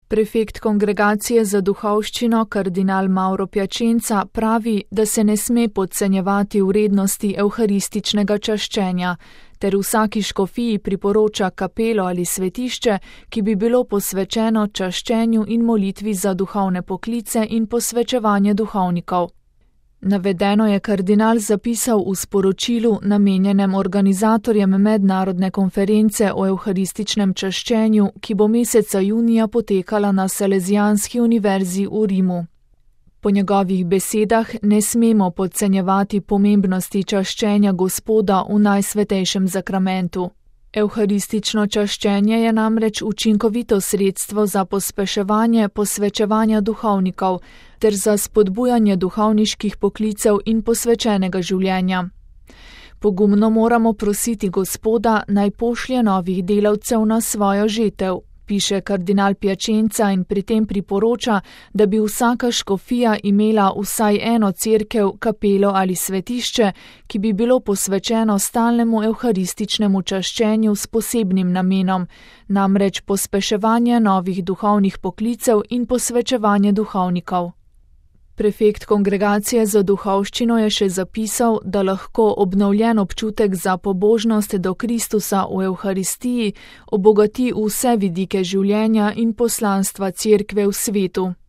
Prefekt Kongregacije za duhovščino kardinal Mauro Piacenza pravi, da se ne sme podcenjevati vrednosti evharističnega čaščenja, ter vsaki škofiji priporoča kapelo ali svetišče, ki bi bilo posvečeno čaščenju in molitvi za duhovne poklice in posvečevanje duhovnikov. Navedeno je kardinal zapisal v sporočilu namenjenem organizatorjem mednarodne konference o evharističnem čaščenju, ki bo meseca junija potekala na Salezijanski univerzi v Rimu. Po njegovih besedah ne smemo podcenjevati pomembnosti čaščenja Gospoda v najsvetejšem zakramentu. Evharistično čaščenje je namreč učinkovito sredstvo za pospeševanje posvečevanja duhovnikov ter za spodbujanje duhovniških poklicev in posvečenega življenja. Pogumno moramo prositi Gospoda, naj pošlje novih delavcev na svojo žetev, piše kardinal Piacenza in pri tem priporoča, da bi vsaka škofija imela vsaj eno cerkev, kapelo ali svetišče, ki bi bilo posvečeno stalnemu evharističnemu čaščenju s posebnim namenom, namreč pospeševanje novih duhovnih poklicev in posvečevanje duhovnikov. Prefekt Kongregacije za duhovščino je še zapisal, da lahko obnovljen občutek za pobožnost do Kristusa v Evharistiji obogati vse vidike življenja in poslanstva cerkve v svetu.